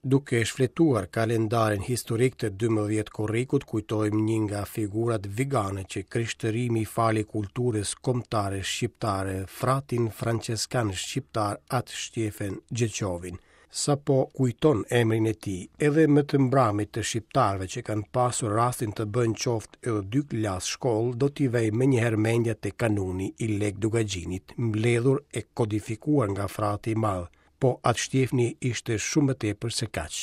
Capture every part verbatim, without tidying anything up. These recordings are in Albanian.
Duke shfletuar kalendarin historik të dymbëdhjetë korrikut, kujtojmë një nga figurat vigane që krishtërimi i fali kulturës kombëtare shqiptare, fratin franceskan shqiptar At Shtjefen Gjeçovin. Sapo kujton emrin e tij, edhe më të mbramit të shqiptarëve që kanë pasur rastin të bëjnë qoftë edhe dy klasë shkollë, do t'i vejë menjëherë mendja te kanuni i Lekë Dukagjinit, mbledhur e kodifikuar nga frati i madh. Po At Shtjefni ishte shumë më tepër se kaq.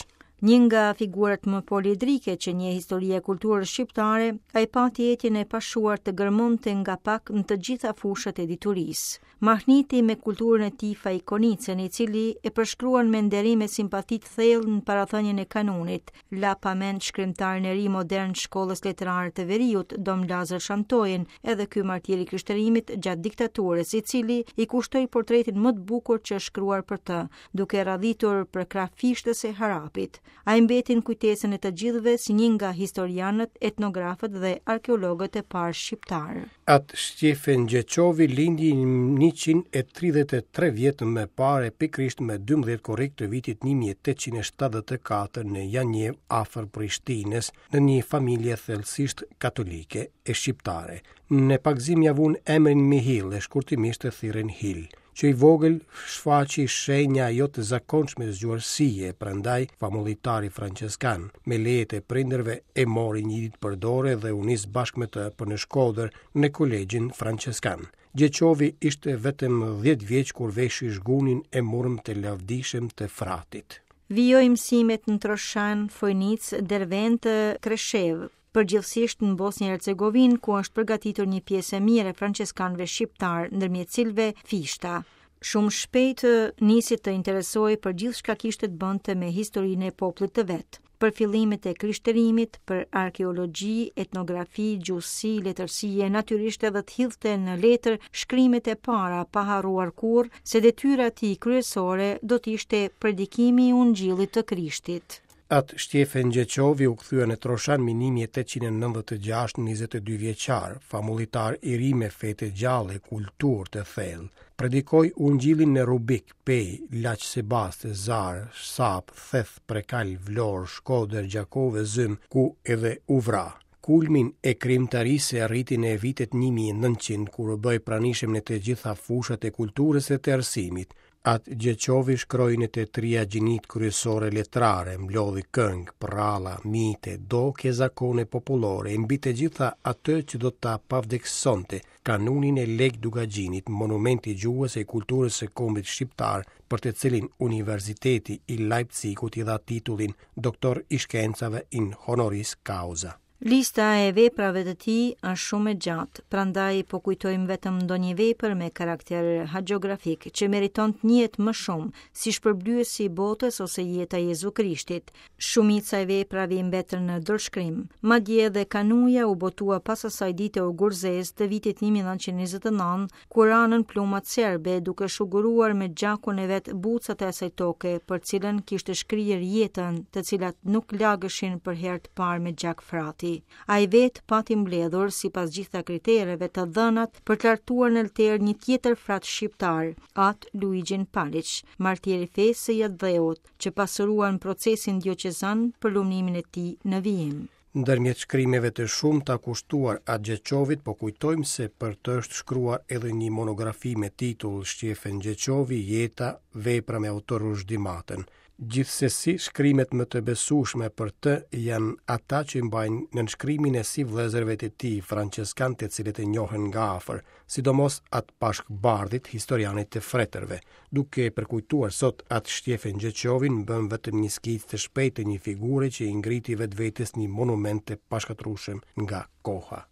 Një nga figurat më poliedrike që njeh historia e kulturës shqiptare, ai pati etjen e pashuar të gërmonte nga pak në të gjitha fushat e diturisë. Mahniti me kulturën e tij Faik Konicën, i cili e përshkruan me nderim e simpati të thellë në parathënien e kanunit, la pa mend shkrimtarin e ri modern të shkollës letrare të Veriut, Dom Lazër Shantojën, edhe ky martir i krishterimit gjatë diktaturës, i cili i kushtoi portretin më të bukur që është shkruar për të, duke radhitur përkrah Fishtës e Harapit. Ai mbeti në kujtesën e të gjithëve si një nga historianët, etnografët dhe arkeologët e parë shqiptarë. At Shtjefen Gjeçovi lindi njëqind e tridhjetë e tre vjet më parë, pikërisht më dymbëdhjetë korrik të vitit një mijë e tetëqind e shtatëdhjetë e katër në Janjev, afër Prishtinës, në një familje thellësisht katolike e shqiptare. Në pagëzim ja vun emrin Mihil e shkurtimisht e thirrën Hil. Që i vogël shfaqi shenja jo të zakonshme zgjuarsie, prandaj famullitari franceskan me lejet e prindërve e mori një ditë për dore dhe u nis bashkë me të për në Shkodër në kolegjin franceskan. Gjeçovi ishte vetëm dhjetë vjeç kur veshi zhgunin e murm të lavdishëm të fratit. Vijoi mësimet në Troshan, Fojnicë, Dervent, Kreshev, përgjithsisht në Bosnjë e Hercegovinë, ku është përgatitur një pjesë e mirë e franceskanëve shqiptar, ndërmjet cilëve Fishta. Shumë shpejt nisi të interesohej për gjithçka kishte të bënte me historinë e popullit të vet, për fillimet e krishterimit, për arkeologji, etnografi, gjuhësi, letërsi e natyrisht edhe të hidhte në letër shkrimet e para, pa harruar kurrë se detyra e tij kryesore do të ishte predikimi i Ungjillit të Krishtit. At Shtjefen Gjeçovi u kthye në Troshan më një mijë e tetëqind e nëntëdhjetë e gjashtë, njëzet e dy vjeçar, famullitar i ri me fe të gjallë e kulturë të thellë. Predikoi Ungjillin në Rubik, Pejë, Laç Sebaste, Zar, Sap, Theth, Prekal, Vlorë, Shkodër, Gjakovë, Zym, ku edhe u vra. Kulmin e krijimtarisë e arriti në vitet një mijë e nëntëqind, kur u bë i pranishëm në të gjitha fushat e kulturës e të arsimit. At Gjeçovi shkroi në të tria gjinit kryesore letrare, mblodhi këngë, pralla, mite, doke, zakone popullore, e mbi të gjitha atë që do ta pavdeksonte, kanunin e Lekë Dukagjinit, monumenti i gjuhës e kulturës së kombit shqiptar, për të cilin Universiteti i Leipzigut i dha titullin Doktor i Shkencave in honoris causa. Lista e veprave të tij është shumë e gjatë, prandaj po kujtojmë vetëm ndonjë vepër me karakter hagiografik që meriton të njihet më shumë, si shpërblyesi i botës ose jeta e Jezu Krishtit. Shumica e veprave i mbetën në dorëshkrim. Madje edhe kanuja u botua pas asaj dite ogurzez të vitit një mijë e nëntëqind e njëzet e nëntë, kur ranën plumat serbe duke shuguruar me gjakun e vet bucat e asaj toke për cilën kishte shkrirë jetën, të cilat nuk lagëshin për herë të parë me gjak frati. Ai vet pati mbledhur, sipas gjitha kritereve të dhënat, për të lartuar në alter një tjetër frat shqiptar, At Luigjin Paliç, martir i fesë së Jadheut, që pasuruan procesin dioqezan për lumnimin e tij në vijim. Ndërmjet shkrimeve të shumta kushtuar At Gjeçovit, po kujtojmë se për të është shkruar edhe një monografi me titull Shtjefen Gjeçovi, Jeta, vepra me autor Ruzhdi Matën. Gjithsesi, shkrimet më të besueshme për të janë ata që mbajnë nënshkrimin e si vëllezërve të tij franceskan, të cilët e njohën nga afër, sidomos At Pashk Bardhit, historianit të fretërve. Duke përkujtuar sot At Shtjefen Gjeçovin, bën vetëm një skicë të shpejtë të një figure që i ngriti vetvetes një monument të pashkatrueshëm nga koha.